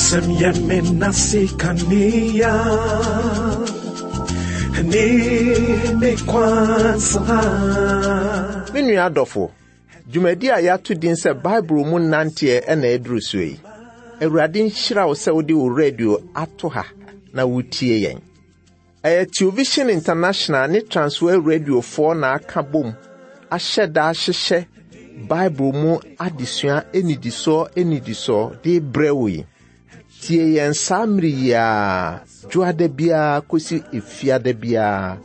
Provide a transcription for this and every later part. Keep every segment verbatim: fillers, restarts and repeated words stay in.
Wasɛm yɛ me nase kanea ne me kwansa. Me nua adɔfo, dwumadi a yɛato din sɛ Bible mu nanteɛ ɛna ɛduru so yi. Awurade nhyira wo sɛ wode wo radio ato ha na wotie yɛn. Ɛyɛ Television International ne Transworld Radiofoɔ na aka bom ahyɛ da ahyehyɛ Bible mu adesua enidisoɔ enidisoɔ de brɛ wo yi. Tie yɛn saa mmere yi ara, dwoada biara kɔsi efiada biara,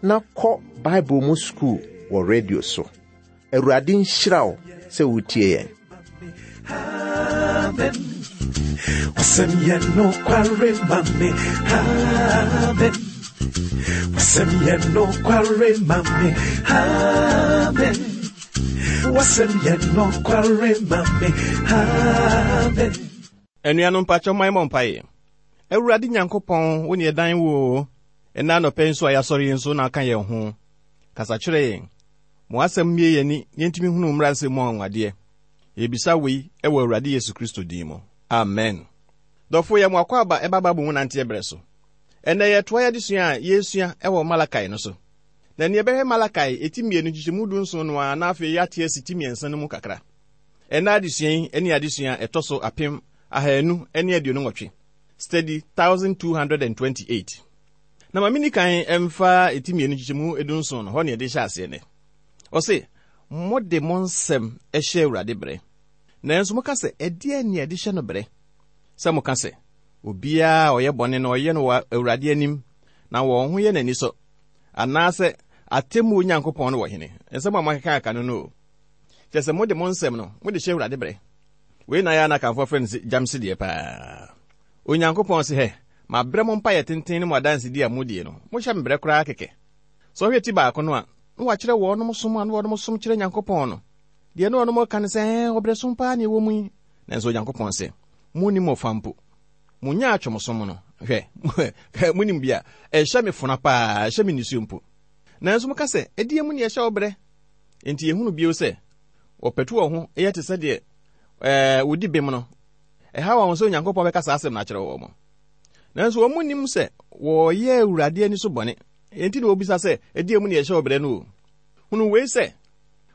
na kɔ Bible mu sukuu wɔ radio so. Awurade nhyira wo sɛ wotie yɛn. Amen. Wasɛm yɛ nokware ma me. Amen. Wasɛm yɛ nokware ma me. Amen. Wasɛm yɛ nokware ma me. Amen. Anuanom mpakyɛ man mmɔ mpaeɛ. Awurade Nyankopɔn, wo ne yɛdan wo o. Ɛnnɛ anɔpa yi nso a yɛasɔre yi nso na aka yɛn ho. Kasa kyerɛ yɛn. Mo asɛm mmie yɛn ani na yɛntumi hunu mmara nsɛm mu anwanwadeɛ. Yɛbisa wei ɛwɔ Awurade Yesu Kristo din mu. Amen. Dɔfo yɛ mo akɔ aba ɛba Bible mu nanteɛ berɛ so. Ɛnnɛ yɛtoa yɛn adesua a yɛresua ɛwɔ Malakai no so. Na nea ɛbɛhwɛ Malakai eti mmienu nkyekyɛmu du nson no ara na afei yɛate asi ti mmiɛnsa no mu kakra. Ɛnnɛ adesua yi ne adesua ɛtɔ so apem ahanu ne aduonu nwɔtwe. Study thousand two hundred and twenty-eight. Na ma menni kan ɛmfa eti mmienu nkyekyɛmu edu nson no hɔ ne yɛde hyɛ aseɛ nɛ. Ɔse, mode mo nsɛm ɛhyɛ Awurade berɛ. Nanso moka sɛ, ɛdeɛn ne yɛde hyɛ no berɛ? Sɛ moka sɛ, obiara a ɔyɛ bɔne no ɔyɛ no wɔ Awurade anim, na wɔn ho yɛ n'ani sɔ. Anaasɛ atemmuo Nyankopɔn no wɔ hene. Nsɛm a moakeka aka no no o. Kyerɛ sɛ mode mo nsɛm no, mode hyɛ Awurade berɛ. Wei na yɛ a na akamfoɔ frɛ no sɛ gyamse deɛ paa. Onyankopɔn se, hɛ, mabrɛ mo mpaeɛ tenten ne mo adansedi a modie no, mohyɛ me berɛ koraa kɛkɛ. Sɛ ɔhwɛ ti baako no a, na wakyerɛ wɔnom som a na wɔnom som kyerɛ Nyankopɔn no. Deɛ na wɔnom ka ne sɛ, ɛɛ, ɔbrɛ som paa na ɛwɔ mu yi. Nanso Onyankopɔn se, monnim mo fa mpo. Monnya atwomsom no. Hwɛ, monim bi a, ɛhyɛ me fona paa, ɛhyɛ me nisuo mpo. Nanso moka sɛ, ɛdeɛ mu ne ɛhyɛ wo berɛ. Enti yɛhunu bio sɛ, wɔpɛtu wɔn ho yɛ te sɛ deɛ, ɛɛ, wɔdi bem no. Ɛha wɔn sɛ Onyankopɔn bɛka saa asɛm no akyerɛ wɔn. Nanso wɔn nim sɛ wɔyɛ Awurade ani so bɔne. Enti na wɔbisa sɛ, ɛdeɛ mu ne ɛhyɛ wo berɛ no o. Hunu wei sɛ,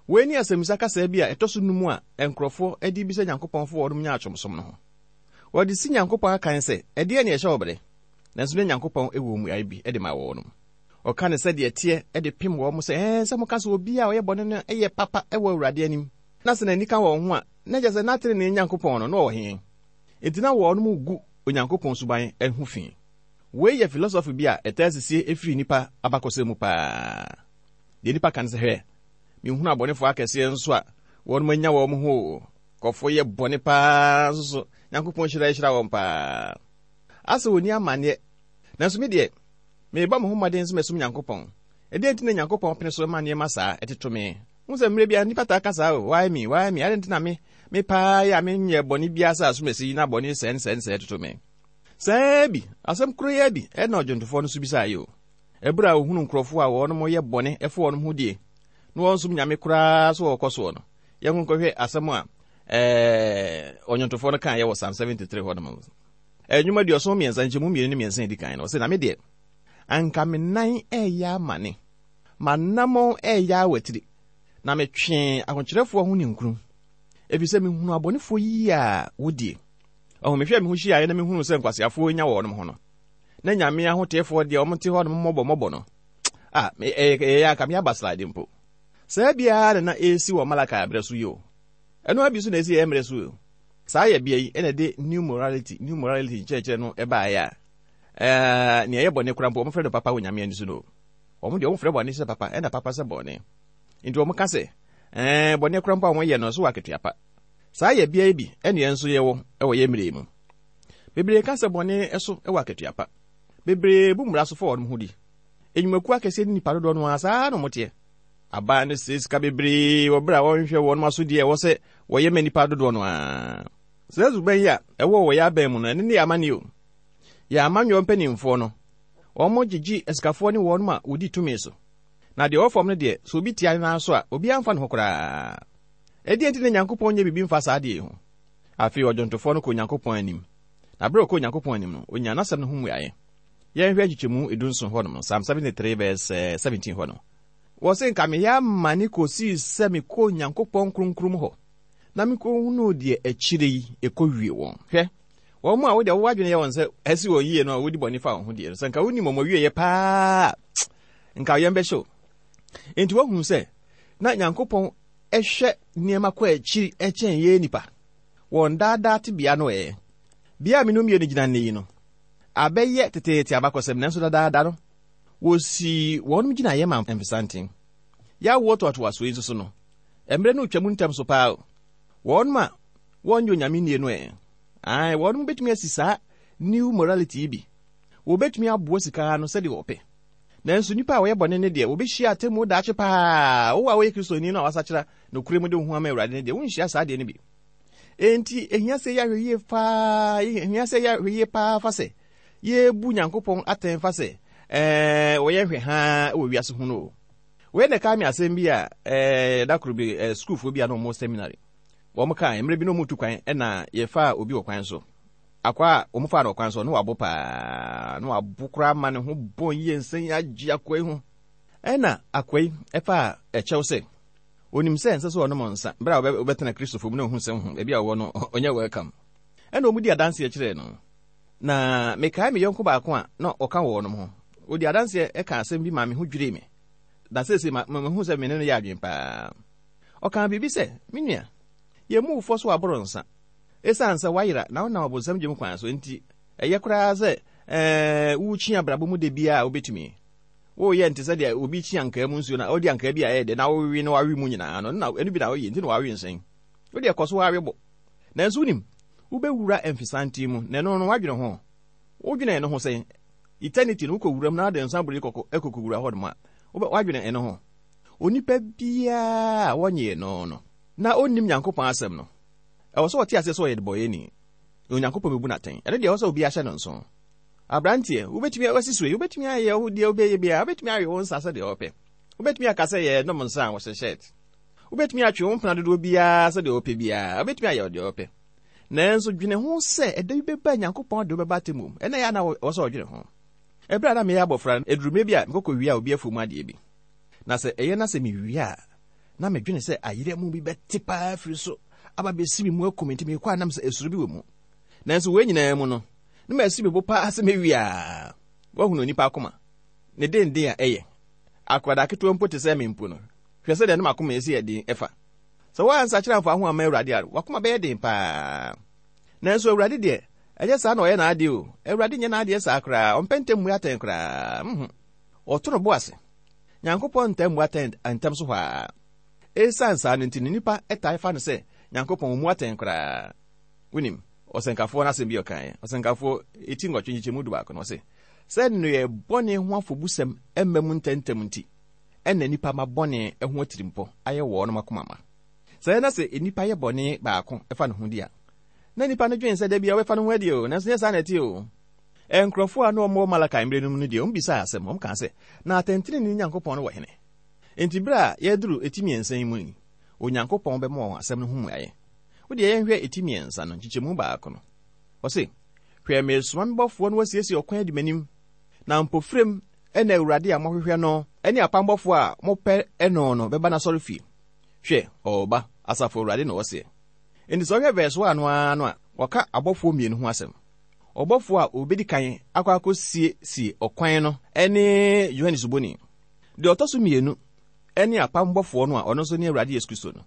wei ne asɛmmisa kasaa bi a ɛtɔ so num a nkurɔfoɔ de bisa Nyankopɔn fo wɔnom nya atwomsom no ho. Wɔde si Nyankopɔn akan sɛ, ɛdeɛ ne ɛhyɛ wo berɛ? Nanso ne Nyankopɔn wɔ mmuaeɛ bi de ma wɔnom. Ɔka ne sɛdeɛ ɛteɛ de pem wɔn sɛ, ɛɛ, sɛ moka sɛ obi a ɔyɛ bɔne no yɛ papa wɔ Awurade anim, na sɛ n'ani ka wɔn ho a, na kyerɛ sɛ n'atenenee Nyankopɔn no, na ɔwɔ he? Enti na wɔnom gu Onyankopɔn suban ho fi. Wei yɛ philosophy bi a ɛtaa sisie efiri nnipa abakɔsɛm mu paa. Deɛ nnipa ka ne sɛ, hwɛ, mehunu abɔnefoɔ akɛseɛ nso a wɔnom anya wɔn ho o. Kɔfoɔ yɛ bɔne paa nso so, Nyankopɔn hyira hyira wɔn paa. Asɛ wɔnni amanneɛ. Nanso me deɛ, mebɔ me ho mmɔden sɛ mɛsom Nyankopɔn. Ɛdeɛn nti na Nyankopɔn pene so ma nneɛma saa ɛtoto me? Hu sɛ mmerɛ biara nnipa taa ka saa o, why me, why me? Adɛn nti na me, me paa yɛ a menyɛ bɔne biara sɛ asomasi yi na bɔne sɛn sɛn sɛn toto me? Saa bi, asɛm koro yɛ bi, ɛna ɔdwontofoɔ no so bisaa yi o. Ɛberɛ a ohunu nkurɔfoɔ a wɔnom yɛ bɔne ɛfo wɔnom ho die, na wɔn nsom Nyame koraa so wɔkɔ soɔ no, yɛn nkɔhwɛ asɛm a, ɛɛ, ɔnwontofoɔ no kaa yɛ wɔ Psalm seventy-three hɔ nom. Ɛnwom aduɔson mmiɛnsa, nkyɛmu mmienu ne mmiɛnsa edi kan no, ɔse, na me deɛ, anka me nan ɛyɛ amane, m'anammɔn ɛyɛ awatiri, na metwee ahokyerɛfoɔ ho ninkunu, ɛfiri sɛ mehunu abɔnefoɔ yie a wodie. Ɔho, mehwɛ me ho hyiaeɛ na mehunu sɛ nkwaseafoɔ nya wɔnom ho no, na Nyame ahoteefoɔ deɛ ɔmo te hɔ nom mmɔbɔ mmɔbɔ no, a, me, ɛyɛ, ɛyɛ anka me aba slide mpo. Saa biara na na ɛresi wɔ Malakai berɛ so yi o. Ɛno abi so na ɛsi yɛ mmerɛ so o. Saa yɛ bea yi ɛna ɛde new morality, new morality nkyerɛkyerɛ no ɛbaeɛ a, ɛɛ, nea ɛyɛ bɔne koraa mpo, wɔmfrɛ no papa wɔ Nyame ani so no. Wɔn deɛ wɔmfrɛ bɔne sɛ papa, ɛna papa sɛ bɔne. Nti wɔn ka sɛ, ɛɛ, bɔne koraa mpo a wɔyɛ no, so wɔ akatua pa. Saa yɛ bea yi bi ɛna yɛn nso yɛwɔ ɛwɔ yɛn mmerɛ yi mu. Bebree ka sɛ bɔne ɛso ɛwɔ akatua pa. Bebree bu mmara so fa wɔn ho di. Enyumakuo akɛseɛ ne nnipa dodoɔ no ara saa na wɔteɛ. Aban no sɛ sika bebree wɔ berɛ a wɔnhwɛ wɔn asodie a ɛwɔ sɛ wɔyɛ ma nnipa dodoɔ no ara. Saa suban yi a ɛwɔ wɔ yɛn aban mu no, ɛno ne yɛn amanneɛ o. Yɛn amanyɔ mpanimfoɔ no, wɔn gyegye asikafoɔ ne wɔn a wɔdi tumi so. Na deɛ ɔwɔ fam no deɛ, sɛ obi tia ne nan so a, obiara mfa ne ho koraa. Ɛdeɛn nti na Nyankopɔn nyɛ biribi mfa saa adeɛ yi ho? Afei ɔdwontofoɔ no kɔ Onyankopɔn anim, Na berɛ a ɔkɔɔ Onyankopɔn anim no, ɔnyaa n'asɛm no ho mmuaeɛ. Yɛnhwɛ nkyekyɛmu edunson hɔ nom, Psalm seventy-three verse seventeen hɔ no. Wɔse nka meyɛ amane kɔsii sɛ mekɔɔ Onyankopɔn kronkron mu hɔ, na mekɔhunuu deɛ akyire yi ɛkɔwie wɔn. Hwɛ, wɔn mu a wode wɔn adwene yɛ wɔn sɛ ɛsi wɔn yie no a wodi bɔne fa wɔn ho deɛ no, sɛ nka wonim wɔn awieeɛ paa, nka yɛn bɛhyɛ o. Enti woahunu sɛ na Nyankopɔn ɛhwɛ nneɛma kɔ akyiri ɛkyɛn yɛn nipa. Wɔn daadaa tebea no ɛ. Bea a me no mmienu gyina nne yi no, abɛyɛ teteete abakɔsɛm, nanso dadaada no, wɔsii wɔnom gyinaeɛ ma mfesanten. Yɛawoɔ toatoasoɔ yi nso so no, mmerɛ no retwa mu ntɛm so paa o. Wɔnom a wɔnyɛ Onyame nnie no ɛ. Ae, wɔnom bɛtumi asi saa new morality yi bi. Wɔbɛtumi aboa sika no sɛdeɛ wɔpɛ. Nanso nnipa a wɔyɛ bɔne ne deɛ, wɔbɛhyia atemmuo daakye paa. Wo a woyɛ Kristoni no a wasakyera nokorɛ mu de wo ho ama Awurade ne deɛ, wonhyia saa deɛ no bi. Enti, ehia sɛ yɛahwɛ yie paa, ehia sɛ yɛahwɛ yie paa fa sɛ yɛbu Nyankopɔn atɛn fa sɛ ɛɛ wɔyɛ hwɛ haa wɔ wiase ho no. Wei na ɛka me asɛm bi a ɛɛ da koro bi ɛɛ sukuufoɔ bi a na wɔwɔ seminary. Wɔn kaa mmerɛ bi na wɔn tu kwan ɛna yɛfaa obi wɔ kwan so. Akwa a wɔn faa no wɔ kwan so no wabo paa, na wabo koraa ma ne ho bɔn yie nsɛn agye akwa yi ho. Ɛna akwa yi ɛfaa ɛkyɛw sɛ onim sɛ ɛnsɛ sɛ ɔnom nsa bere a wɔbɛtena Kristofo mu na ohun sɛ ho ebi a wɔwɔ no ɔnyɛ welcome. Ɛna wɔn di adanseɛ kyerɛɛ no. Na mekae me yɔnko baako a na ɔka wɔ wɔn ho. Odi adanseɛ ɛka asɛm bi ma me ho dwirii me. Na seesei ma mehu sɛ me ne no yɛ adwene paa. Ɔka biribi sɛ, me nua, yɛn mu wofɔ so aboro nsa. Esiane sɛ wayera na wonam abonsam gyem kwan so nti, ɛyɛ koraa sɛ ɛɛ wokyi abrabɔ mu de biara a wobɛtumi. Woyɛ nte sɛ deɛ obi kyi ankaa mu nsuo na ɔde ankaa bi a ɛyɛ dɛ na wowe na wawe mu nyinaa no, na ɛno bi na woyɛ nti na wawe nsɛn. Wode ɛkɔ so wawe bo. Nanso wonim, wobɛwura mfesanten mu na ɛno no wadwene ho. Wodwene ɛno ho sɛn? Eternity no wokɔwura mu na ade nsa bere kɔkɔ ɛkɔkɔwura hɔ nom a, wadwene ɛno ho. Onipa biara a wɔnyee no no, na onnim Nyankopɔn asɛm no, ɛwɔ sɛ ɔte aseɛ sɛ ɔyɛ debɔyɛni. Onyankopɔn bɛbu no atɛn. Ɛno deɛ ɛwɔ sɛ obi ahyɛ no nso. Aberanteɛ, wobɛtumi asi so yi, wobɛtumi ayɛ wo deɛ wobɛyɛ biara, wobɛtumi awe wo nsa sɛdeɛ wɔpɛ. Wobɛtumi aka sɛ yɛ nom nsa a wɔhyɛ shirt. Wobɛtumi atwe wo mpena dodoɔ biara sɛdeɛ wɔpɛ biara, wobɛtumi ayɛ deɛ wɔpɛ. Nanso dwene ho sɛ ɛda bi bɛba Nyankopɔn de wobɛba atemmu mu. Ɛnna ɛyɛ a na ɛwɔ sɛ ɔdwene ho. Ɛberɛ a na meyɛ abɔfra no, ɛduru mmerɛ bi a mekɔkɔ wia obi afuo mu adeɛ bi. Na sɛ ɛyɛ na sɛ mewie a, na medwene sɛ ayerɛ mu bi bɛte paa firi so aba bɛsi me mu akum nti mekɔ a nam sɛ esuro bi wɔ mu. Nanso wei nyinaa mu no, na masi me bo paa sɛ mewie a, woahunu onipa akoma. Ne denden a ɛyɛ. Akwadaa ketewa mpo te sɛ me mpo no, hwɛ sɛdeɛ ne m'akoma esi yɛ den ɛfa. Sɛ woansakyera amfa ho amma Awurade a, w'akoma bɛyɛ den paa. Nanso Awurade deɛ, ɛnyɛ saa na ɔyɛ n'adeɛ o. Awurade nyɛ n'adeɛ saa koraa. Ɔmpɛ ntɛm mmu atɛn koraa. Mhm. Ɔto no bo ase. Nyankopɔn ntam mmu atɛn ntɛm so hɔ a. Esiane saa no nti no, nnipa ɛtae fa no sɛ Nyankopɔn ɔmmu atɛn koraa. Wonim, ɔsɛnkafoɔ no asɛm bi a ɔkaeɛ. Ɔsɛnkafoɔ eti nwɔtwe nkyekyɛmu du baako no, ɔse, sɛ nneyɛɛ bɔne ho afɔbusɛm mma mu ntɛmntɛm nti, ɛna nnipa ma bɔne ho atirimpɔ ayɛ wɔn akoma ma. Sɛ ɛna sɛ nnipa yɛ bɔne baako ɛfa ne ho di a, na nnipa no dwen sɛ da bia wɔbɛfa ne ho adi o, nanso nyɛ saa na ɛte o. Nkurɔfoɔ a na wɔwɔ Malakai mmerɛ no mu no deɛ, wɔn bisaa asɛm, wɔn kaa sɛ, na atɛntenenee Nyankopɔn no wɔ hene? Enti berɛ a yɛduru eti mmiɛnsa yi mu yi, Onyankopɔn bɛma wɔn asɛm no ho mmuaeɛ. Wo deɛ yɛnhwɛ eti mmiɛnsa no, nkyekyɛmu baako no. Ɔse, hwɛ meresoma me bɔfoɔ no wasiesie ɔkwan adi m'anim, na mpofirem ɛna Awurade a mohwehwɛ no ne apam bɔfoɔ a mopɛ no no bɛba n'asɔrefie. Hwɛ, ɔreba, asafo Awurade na ɔseɛ. Enti sɛ ɔhwɛ verse one no ara no a, wɔka abɔfoɔ mmienu ho asɛm. Ɔbɔfoɔ a obedi kan akɔ akɔsiesie ɔkwan no ne Yohane Suboni. Deɛ ɔtɔ so mmienu ne apam bɔfoɔ no a ɔno nso ne Awurade Yesu Kristo no.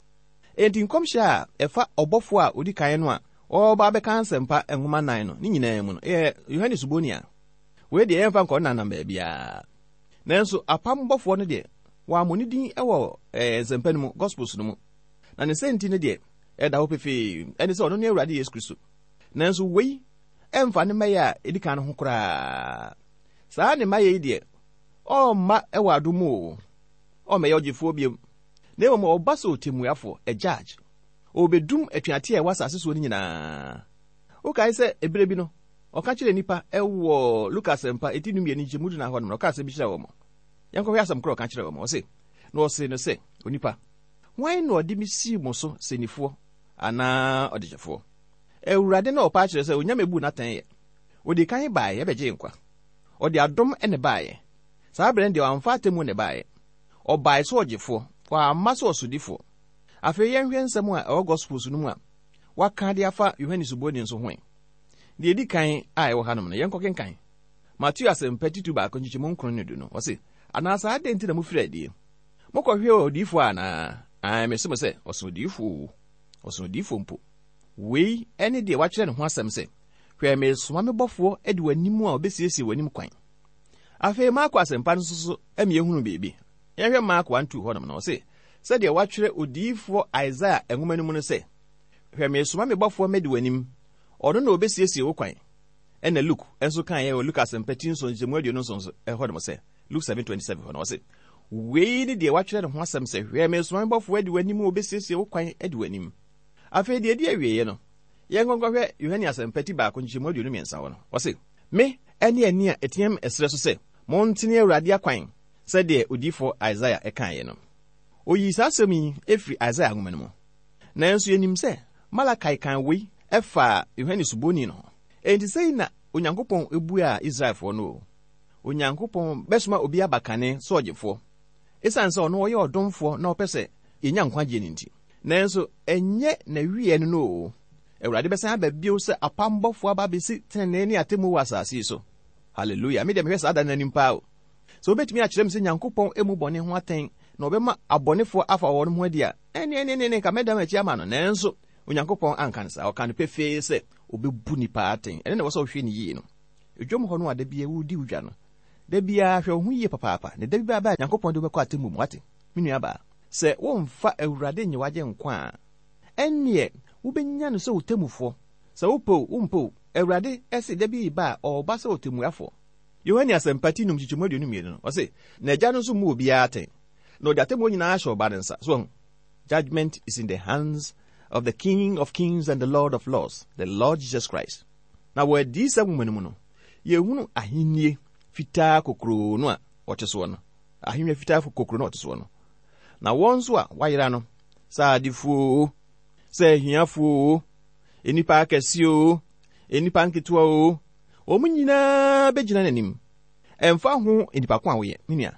Enti nkɔmhyɛ a ɛfa ɔbɔfoɔ a odi kan no a ɔreba abɛka nsɛmpa nwoma nnan no ne nyinaa mu no, ɛyɛ Yohane Suboni a. Wei deɛ yɛmfa nkɔ nanam baabiara. Nanso apam bɔfoɔ no deɛ, wɔammɔ ne din wɔ ɛɛ nsɛmpa no mu, Gospels no mu. Na ne sɛnti no deɛ, ɛda hɔ pefee, ɛne sɛ ɔno ne Awurade Yesu Kristo. Nanso wei ɛmfa ne mmayɛ a ɛdi kan no ho koraa. Saa ne mmayɛ yi deɛ, ɔmma ɛwɔ adom mu o. Ɔmmɛyɛ ɔgyefoɔ biom. Na mmom ɔba sɛ ɔtemmuafoɔ, a judge. Ɔbɛdum atuateɛ a ɛwɔ asase soɔ no nyinaa. Wokae sɛ ɛberɛ bi no, ɔka kyerɛɛ nnipa ɛwɔ Lukas mpa eti du mmienu nkyɛmu du nan hɔ nom no, ɔka asɛm bi kyerɛɛ wɔn. Yɛnkɔhwɛ asɛm korɔ ɔka kyerɛɛ wɔn. Ɔse, na ɔse no sɛ, onipa, hwan na ɔde me sii mo so sɛnifoɔ anaa ɔdekyɛfoɔ? Awurade na ɔpa akyerɛ sɛ Onyame bu n'atɛn yɛ. Odi kan baeɛ bɛgye nkwa. Ɔde adom ne baeɛ. Saa berɛ no deɛ wamfa atemmu ne baeɛ. Ɔbae sɛ ɔgyefoɔ, wamma sɛ ɔsodifoɔ. Afei yɛnhwɛ nsɛm a ɛwɔ Gospels no mu a waka de afa Yohane Suboni nso ho. Deɛ edi kan a ɛwɔ hanom no, yɛnkɔ kenkan. Mateo asɛmpa titu baako nkyekyɛmu nkron ne du no, ɔse, anaasɛ adɛn nti na mofiri adie? Mokɔhwɛ odiyifoɔ anaa? Ae, mese mo sɛ, ɔso odiyifoɔ o. Ɔso odiyifoɔ mpo. Wei ɛne deɛ wakyerɛ ne ho asɛm sɛ, hwɛ mesoma me bɔfoɔ de w'anim a ɔbɛsiesie w'anim kwan. Afei Marko asɛmpa no nso so ɛma yɛhunu biribi. Yɛhwɛ Marko one two hɔnom no, ɔse, sɛdeɛ watwerɛ odiyifoɔ Isaiah nwoma no mu no sɛ, hwɛ mesoma me bɔfoɔ mɛdi w'anim, ɔno na ɔbɛsiesie wo kwan. Ɛna Luke nso kaeɛ wɔ Luke asɛmpa ti nson nkyɛmu aduonu nson so ɛhɔ nom sɛ, Luke seven twenty-seven hɔ no, ɔse, wei ne deɛ watwerɛ ne ho asɛm sɛ, hwɛ mesoma me bɔfoɔ adi w'anim a ɔbɛsiesie wo kwan adi w'anim. Afei deɛ ɛdi awieeɛ no, yɛnkɔnkɔhwɛ Yohane asɛmpa ti baako nkyɛmu aduonu mmiɛnsa hɔ no, ɔse, me ɛne ani a ɛteam ɛserɛ so sɛ, montene Awurade akwan, sɛdeɛ odiyifoɔ Isaiah ɛkaeɛ no. Oyii saa asɛm yi efiri Isaiah nwoma no mu. Nanso yɛnim sɛ Malakai kan wei ɛfaa Yohane Suboni no ho. Enti sɛi na Onyankopɔn ebuaa Israelfoɔ no o. Onyankopɔn bɛsoma obi aba kane sɛ ɔgyefoɔ. Esiane sɛ ɔno ɔyɛ ɔdomfoɔ na ɔpɛ sɛ yɛnya nkwagyeɛ no nti. Nanso ɛnyɛ n'awieɛ no no o. Awurade bɛsan aba bio sɛ apam bɔfoɔ aba abɛsi tenenee ne atemmu wɔ asase yi so. Hallelujah. Me deɛ mehwɛ saa da no anim paa o. Sɛ wobɛtumi akyerɛ me sɛ Nyankopɔn emu bɔne ho atɛn na ɔbɛma abɔnefoɔ afa wɔn ho adi a, ɛne ɛne ɛne nka mɛda m'akyi ama no. Nanso Onyankopɔn anka no saa. Ɔka no pefee sɛ ɔbɛbu nipa atɛn. Ɛno na ɛwɔ sɛ wohwɛ no yie no. Edwom hɔ no a da biara wodi wo dwa no, da biara hwɛ wo ho yie papaapa, na da bi bɛba a Nyankopɔn de wo bɛkɔ atemmu mu. Wate, me nua baa, sɛ womfa Awurade nye w'agye nkwa a, ɛnneɛ wobɛnya no sɛ wo temmufoɔ. Sɛ wopɛ o, wompɛ o, Awurade ɛse da bi ba a ɔreba sɛ ɔtemmuafoɔ. Yohane asɛmpa ti num nkyekyɛmu aduonu mmienu no, ɔse, na agya no nso mmu obiara atɛn, na ɔde atemmuo nyinaa ahyɛ ɔba no nsa. So ɔho, judgment is in the hands of the King of Kings and the Lord of Lords, the Lord Jesus Christ. Na wɔ adiyisɛm nwoma no mu no, yɛhunu ahennie fitaa kokuroo no a ɔte soɔ no. Ahennwa fitaa kokuroo no a ɔte soɔ no. Na wɔn nso a wɔayera no, sɛ adefoɔ o, sɛ ahiafoɔ o, nnipa akɛseɛ o, nnipa nketewa o, wɔn nyinaa bɛgyina n'anim. Ɛmfa ho nnipa ko a woyɛ, me nua.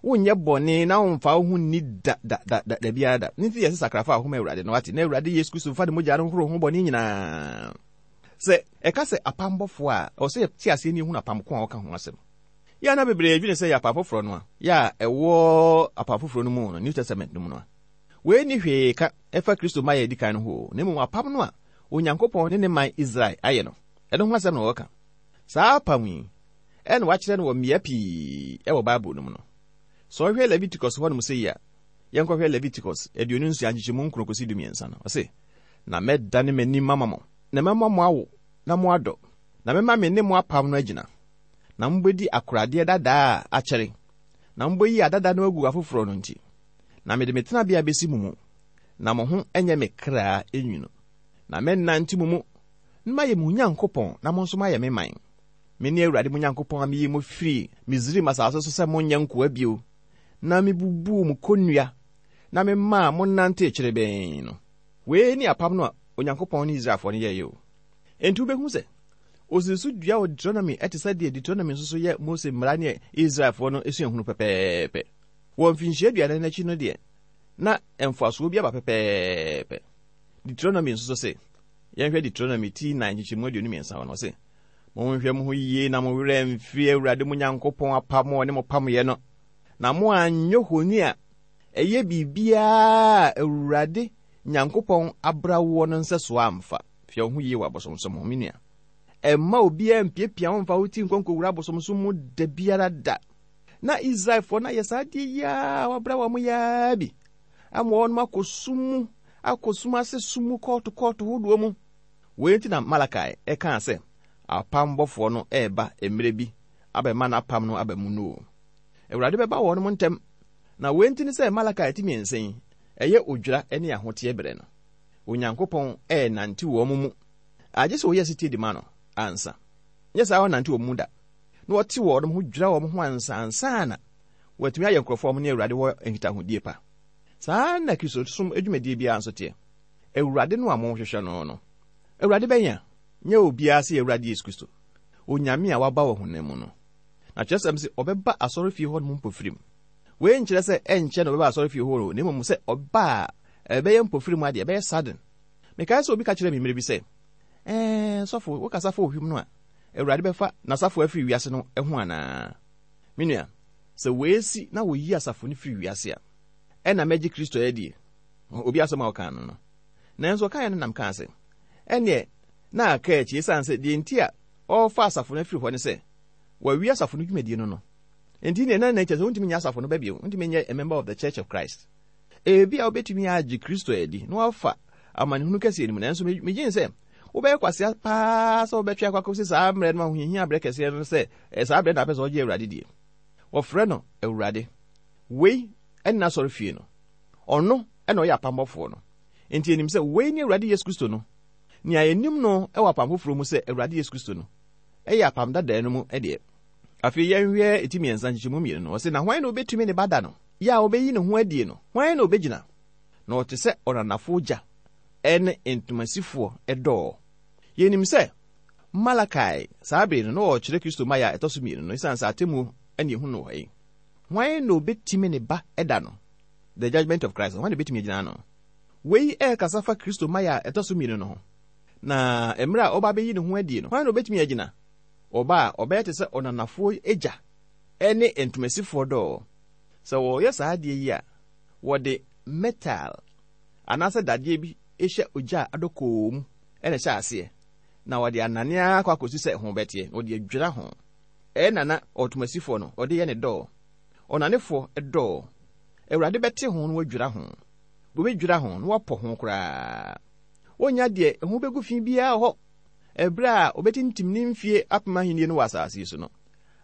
Wonyɛ bɔne na womfa wo ho nni da da da da da biara da. Ne nti yɛ sɛ sakrafa a ɔhoma Awurade no ate, na Awurade Yesu Kristo mfa ne mogya no nhoro ho bɔne nyinaa. Sɛ ɛka sɛ apam bɔfoɔ a, ɛwɔ sɛ yɛte aseɛ ne yɛhunu apam ko a ɔka ho asɛm. Yɛ a na bebree adwene sɛ yɛ apam foforɔ no a, yɛ a ɛwɔ apam foforɔ no mu no, New Testament no mu no a. Wei ni hwee ka ɛfa Kristo ma yɛ adi kan no ho, na mmom apam no a Onyankopɔn ne ne man Israel ayɛ no, ɛno ho asɛm na wɔka. Saa apam yi, ɛna wakyerɛ no wɔ mmea pii ɛwɔ Bible no mu no. Sɛ ɔhwɛ Leviticus hɔnom sɛ yi a, yɛnkɔhwɛ Leviticus aduonu nsia nkyekyɛmu nkron kɔsi dumiɛnsa no. Ɔse, na mɛdane m'anim ama mo, na mɛma mo awo na mo adɔ, na mɛma me ne mo apam no agyina, na mobɛdi akoradeɛ dadaa a akyɛre, na mobɛyi adada no agu afoforɔ no nti, na mede me tenabea bɛsi mo mu, na mo ho nyɛ me kra enwunu, na mɛnante mo mu, na mayɛ mo Nyankopɔn, na mo nso moayɛ me man. Me ne Awurade mo Nyankopɔn a meyii mo firii Misraim asase so sɛ monyɛ nkoa bio, na mebubuu mo kɔnnua, na memaa mo nante kyerebɛn no. Wei ne apam no a Onyankopɔn ne Israelfoɔ no yɛeɛ o. Enti wobɛhu sɛ osii so dua wɔ Deuteronomy ɛte sɛ deɛ Deuteronomy nso so yɛ Mose mmara ne Israelfoɔ no esuahunu pɛpɛɛpɛ. Wɔ mfinhyia aduanan akyi no deɛ, na mfasoɔ bi aba pɛpɛɛpɛ. Deuteronomy nso so se, yɛnhwɛ Deuteronomy ti nnan nkyekyɛmu aduonu mmiɛnsa hɔ no, ɔse, monhwɛ mo ho yie na mo werɛ mfiri Awurade mo Nyankopɔn apam a ɔne mo pamoeɛ no, na mo anyɛ honi a ɛyɛ biribiara a Awurade Nyankopɔn abra woɔ no nsɛsoɔ amfa. Hwɛ wo ho yie wɔ abosomsom ho, me nua. Ɛmma obiara mpiapia wo mfa wo ti nkɔnkɔwura abosomsom mu da biara da. Na Israelfoɔ no ayɛ saa adeɛ yi a wɔabra wɔn yaa bi, ama wɔn akɔ sum mu, akɔ sum ase sum mu kɔɔto kɔɔto hodoɔ mu. Wei nti na Malakai ɛkaa sɛ apam bɔfoɔ no ɛreba mmerɛ bi abɛma n'apam no aba mu no o. Awurade bɛba wɔn mu ntɛm. Na wei nti ne sɛ Malakai ti mmiɛnsa yi, ɛyɛ odwira ne ahoteɛ berɛ no. Onyankopɔn ɛrenante wɔn mu. Agye sɛ wɔyɛ setie de ma no ansa. Nyɛ saa ɔnante wɔn mu da. Na wɔte wɔn ho dwira wɔn ho ansa ansa na wɔatumi ayɛ nkurɔfoɔ a wɔne Awurade wɔ nkitahodie pa. Saa na Kristosom adwumadie biara nso teɛ. Awurade no a mohwehwɛ no no, Awurade bɛn a nyɛ obiara sɛ Awurade Yesu Kristo, Onyame a waba wɔ honam mu no. Na kyerɛsɛm sɛ ɔbɛba asɔrefie hɔ nom mpofirim. Wei nkyerɛ sɛ ɛnkyɛ na ɔbɛba asɔrefie hɔ, na mmom sɛ ɔba a ɛbɛyɛ mpofirim adeɛ, ɛbɛyɛ sudden. Mekae sɛ obi ka kyerɛ me mmerɛ bi sɛ, ɛɛ sɔfo, wokasa fa ohwim no a, Awurade bɛfa n'asafo afiri wiase no ho anaa? Me nua, sɛ weesi na woyi asafo no firi wiase a, ɛna mɛgye Kristo adie. Obi asɛm a ɔkaa no no. Nanso ɔkaeɛ no nam kaa sɛ, ɛneɛ na aka akyi esiane sɛ deɛ nti a ɔrefa asafo no afiri hɔ ne sɛ, wawie asafo no dwumadie no no. Enti ne na na kyerɛ sɛ wontumi nyɛ asafo no ba bio, wontumi nyɛ a member of the Church of Christ. Ebi a wobɛtumi agye Kristo adi na wafa amanehunu kɛseɛ no mu, nanso megye sɛ wobɛyɛ kwasea paa sɛ wobɛtwe akɔ akɔsi saa mmerɛ no ahohiahia berɛ kɛseɛ no sɛ saa berɛ na apɛ sɛ ɔgye Awurade die. Wɔfrɛ no Awurade. Wei ɛne n'asɔrefie no. Ɔno ɛna ɔyɛ apambɔfoɔ no. Enti yɛnim sɛ wei ne Awurade Yesu Kristo no. Nea yɛnim no ɛwɔ apam foforɔ mu sɛ Awurade Yesu Kristo no, ɛyɛ apam dadaa no mu ɛdeɛ. Afei yɛnhwɛ eti mmiɛnsa nkyekyɛmu mmienu no. Ɔse, na hwan na obetumi ne ba da no? Yɛ a obeyi ne ho adie no, hwan na obegyina? Na ɔte sɛ ɔnanafoɔ gya ɛne ntomasifoɔ ɛdɔɔ. Yɛnim sɛ Malakai saa bere no na ɔrekyerɛ Kristo mmaeɛ a ɛtɔ so mmienu no, esiane sɛ atemmuo ɛne ehu no wɔ yi. Hwan na obetumi ne ba ɛda no? The judgment of Christ. Hwan na obetumi agyina ano? Wei ɛrekasa fa Kristo mmaeɛ a ɛtɔ so mmienu no ho. Na mmerɛ a ɔba bɛyi ne ho adie no, hwan na obetumi agyina? Ɔba a ɔbɛyɛ te sɛ ɔnanafoɔ agya ɛne ntomasifoɔ dɔɔ. Sɛ wɔyɛ saa adeɛ yi a, wɔde metal anaasɛ dadeɛ bi hyɛ ogya a adɔ mu ɛna ɛhyɛ aseɛ. Na wɔde anane akɔ akɔsi sɛ ho bɛteɛ, na wɔde adwira ho. Ɛyɛ nana ɔtomasifoɔ no, ɔde yɛ ne dɔɔ. Ɔnanefoɔ dɔɔ. Awurade bɛte ho na wadwira ho. Wɔbɛdwira ho na wapɔ ho koraa. Wɔnnya deɛ ɛho bɛgu fi biara hɔ. Ɛberɛ a ɔbɛtintim ne mfie apem ahennie no wɔ asase yi so no,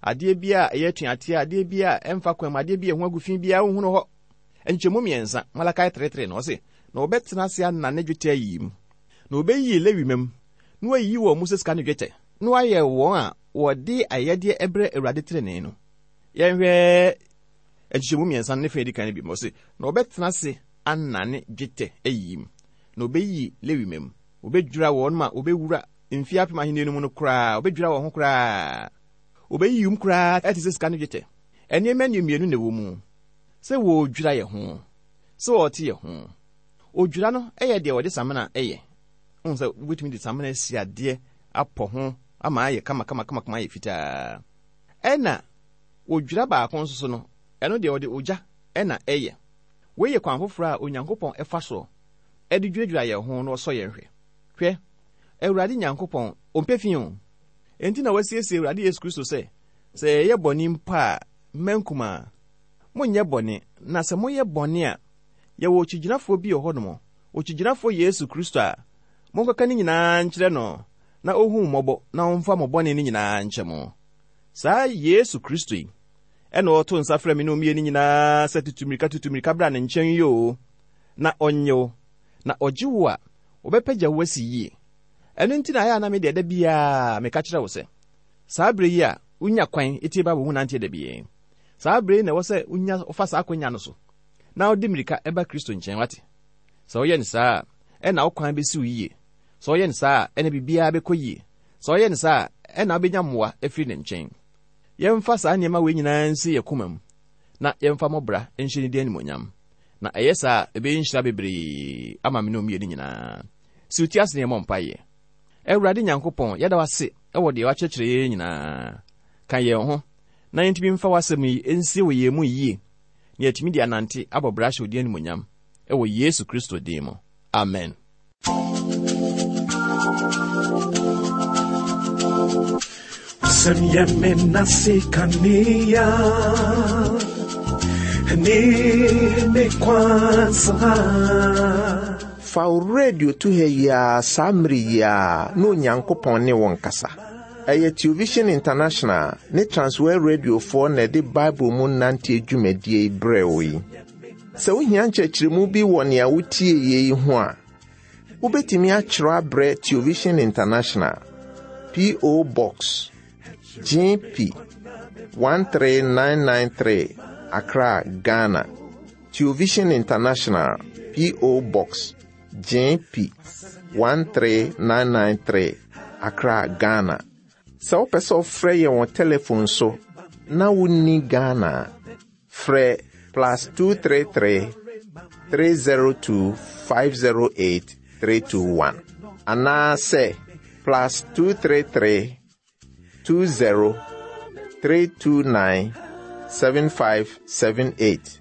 adeɛ bi a ɛyɛ atuateɛ, adeɛ bi a ɛmfa kwan mu, adeɛ bi a ɛho agu fi biara wohunu hɔ. Nkyɛmu mmiɛnsa, Malakai three no, ɔse, na wɔbɛtena ase anane dwetɛ ayi mu. Na wɔbɛyiyi Lewi mam, na wɔayiyi wɔn mu sɛ sika ne dwetɛ, na wɔayɛ wɔn a wɔde ayɛdeɛ ɛbrɛ Awurade tenenee no. Yɛnhwɛ nkyekyɛmu mmiɛnsa ne fa edi kan no bi mu. Ɔse, na wɔbɛtena ase anane dwetɛ ayi mu. Na wɔbɛyiyi Lewi mam. Wɔbɛdwira wɔn ma wɔbɛwura mfie apem ahenni no mu no koraa, wɔbɛdwira wɔn ho koraa. Wɔbɛyiyi mu koraa ɛte sɛ sika ne dwetɛ. Nneɛma mmienu na ɛwɔ mu. Sɛ wɔredwira yɛn ho, sɛ wɔrete yɛn ho. Odwira no ɛyɛ deɛ wɔde samina ɛyɛ. Wohu sɛ wobɛtumi de samina asi adeɛ apɔ ho ama ayɛ kama kama kama kama ayɛ fitaa. Ɛna odwira baako nso so no, ɛno deɛ wɔde ogya ɛna ɛyɛ. Wei yɛ kwan foforɔ a Onyankopɔn ɛfa soɔ ɛde dwiradwira yɛn ho na ɔsɔ yɛn hwɛ. Hwɛ, Awurade Nyankopɔn ɔmpɛ fi o. Enti na wasiesie Awurade Yesu Kristo sɛ, sɛ yɛyɛ bɔne mpo a, mma nkumaa, monyɛ bɔne, na sɛ moyɛ bɔne a, yɛwɔ okyigyinafoɔ bi wɔ hɔnom, okyigyinafoɔ Yesu Kristo a, monkɔka ne nyinaa nkyerɛ no, na ohu mmɔbɔ na ɔmfa mo bɔne no nyinaa nkyɛ mo. Saa Yesu Kristo yi, ɛna ɔto nsa frɛ me ne mmienu nyinaa sɛ tutu mmirika tutu mmirika bra ne nkyɛn yi o, na ɔnnye wo, na ɔgye wo a, ɔbɛpɛgya wo asi yie. Ɛno nti na ayɛ a na me deɛ da biara meka kyerɛ wo sɛ, saa berɛ yi a wonya kwan etie Bible mu nanteɛ da biara, saa berɛ yi na ɛwɔ sɛ wonya wofa saa akwannya no so na wode mmirika ɛba Kristo nkyɛn, wate. Sɛ woyɛ no saa a, ɛna wo kwan bɛsi wo yie. Sɛ woyɛ no saa a, ɛna biribiara bɛkɔ yie. Sɛ woyɛ no saa a, ɛna wobɛnya mmoa afiri ne nkyɛn. Yɛmfa saa nneɛma wei nyinaa nsi yɛ koma mu, na yɛmfa mmɔbra nhyɛ ne din animuonyam. Na ɛyɛ saa a, ɛbɛyɛ nhyira bebree ama me ne mmienu nyinaa. Si wo ti ase na yɛmmɔ mpaeɛ. Awurade Nyankopɔn, yɛda wo ase ɛwɔ deɛ wakyerɛkyerɛ yɛn nyinaa. Ka yɛn ho, na yɛntumi mfa w'asɛm yi nsie wɔ yɛn mu yie, na yɛatumi de anante abɔ bra ahyɛ wo din animuonyam ɛwɔ Yesu Kristo din mu. Amen. Wasɛm yɛ me nase kanea ne me kwansa. Fa wo radio to ha yi ara saa mmere yi ara na Onyankopɔn ne wo nkasa. Ɛyɛ Television International ne Transworld Radiofoɔ na ɛde Bible mu nanteɛ dwumadie yi brɛ wo yi. Sɛ wohia nkyerɛkyerɛmu bi wɔ nea wotie yie yi ho a, wobɛtumi akyerɛw abrɛ Television International, P O. Box G P one three nine nine three, Accra, Ghana. Television International, P O. Box G P one three nine nine three, Accra, Ghana. Sɛ wopɛ sɛ wofrɛ yɛn wɔ telephone so na wonni Ghana, frɛ plus two three three, three zero two, five zero eight, three two one. Anaasɛ plus two three three, two zero, three two nine, seven five seven eight.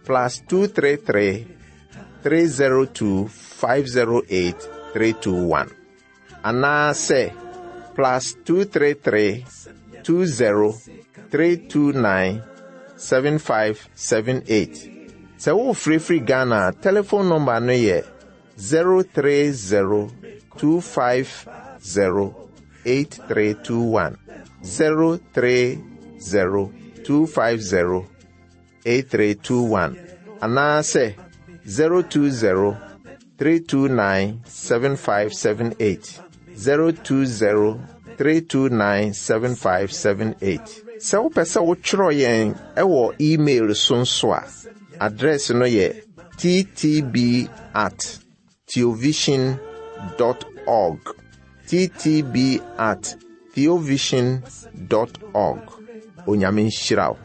Plus two three three, three zero two, five zero eight, three two one. Anaasɛ plus two three three, two zero, three two nine, seven five seven eight. Sɛ wofirifiri Ghana, telephone number no yɛ zero three zero, two five zero, eight three two one. zero three zero, two five zero, eight three two one. Anaasɛ zero two zero, three two nine, seven five seven eight. zero two zero, three two nine, seven five seven eight. Sɛ wopɛ sɛ wotwerɛ yɛn ɛwɔ email so nso a, address no yɛ t t b at theovision dot org. t t b at theovision dot org. Onyame nhyira wo.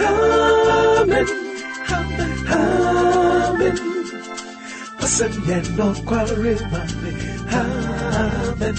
Amen. Amen. Wasɛm yɛ nokware ma me. Amen.